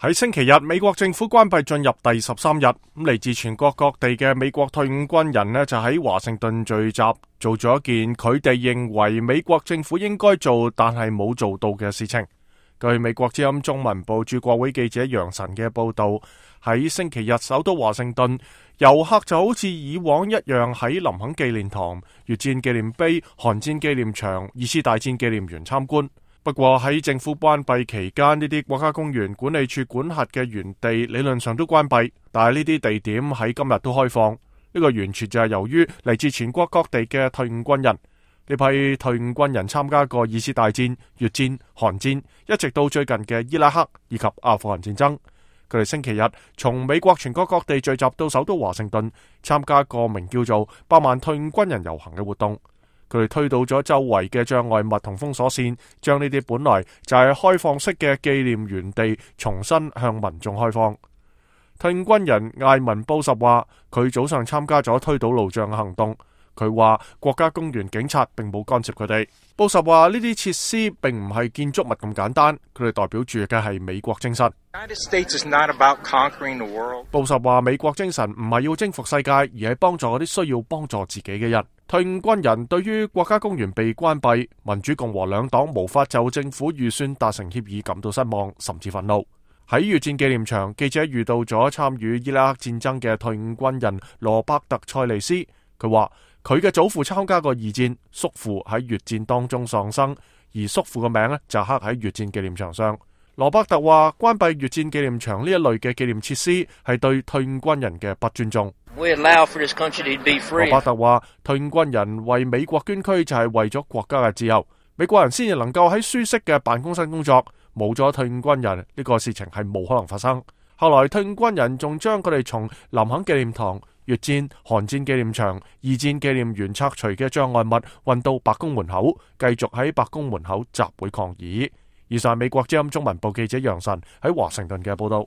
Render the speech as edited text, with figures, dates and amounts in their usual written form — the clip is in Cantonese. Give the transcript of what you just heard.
喺星期日，美國政府關閉進入第13日，嚟自全國各地嘅美國退伍軍人呢，就喺華盛頓聚集，做咗一件佢哋認為美國政府應該做但係冇做到嘅事情。據美國之音中文部駐國會記者楊晨嘅報道，喺星期日首都華盛頓，遊客就好似以往一樣喺林肯紀念堂、越戰紀念碑、韓戰紀念場、二次大戰紀念園參觀。不過喺政府關閉期間，呢啲國家公園管理處管轄嘅園地理論上都關閉，但係呢啲地點喺今日都開放。呢個完全就係由於嚟自全國各地嘅退伍軍人。呢批退伍軍人參加過二次大戰、越戰、韓戰，一直到最近嘅伊拉克以及阿富汗戰爭。佢哋星期日從美國全國各地聚集到首都華盛頓，參加個名叫做百萬退伍軍人遊行嘅活動。佢哋推倒咗周圍嘅障礙物同封鎖線，將呢啲本來就係開放式嘅紀念園地重新向民眾開放。退伍軍人艾文布什話，佢早上參加咗推倒路障嘅行動。佢話國家公園警察並冇干涉佢哋。布什話呢啲設施並唔係建築物咁簡單，佢哋代表住嘅係美國精神。布什話美國精神唔係要征服世界，而係幫助嗰啲需要幫助自己嘅人。退伍軍人對於國家公園被關閉，民主共和兩黨無法就政府預算達成協議感到失望，甚至憤怒。喺越戰紀念場，記者遇到咗參與伊拉克戰爭嘅退伍軍人羅伯特塞利斯。佢話佢嘅祖父參加過二戰，叔父喺越戰當中喪生，而叔父嘅名呢就刻喺越戰紀念場上。羅伯特話關閉越戰紀念場呢一類嘅紀念設施係對退伍軍人嘅不尊重。羅伯特話退伍軍人為美國捐軀就係為咗國家嘅自由，美國人先至能夠喺舒適嘅辦公室工作，冇咗退伍軍人呢個事情係冇可能發生。後來退伍軍人仲將佢哋從林肯紀念堂、越戰、韓戰紀念場、二戰紀念園拆除嘅障礙物運到白宮門口，繼續喺白宮門口集會抗議。以上美國之音中文部記者楊晨喺華盛頓嘅報道。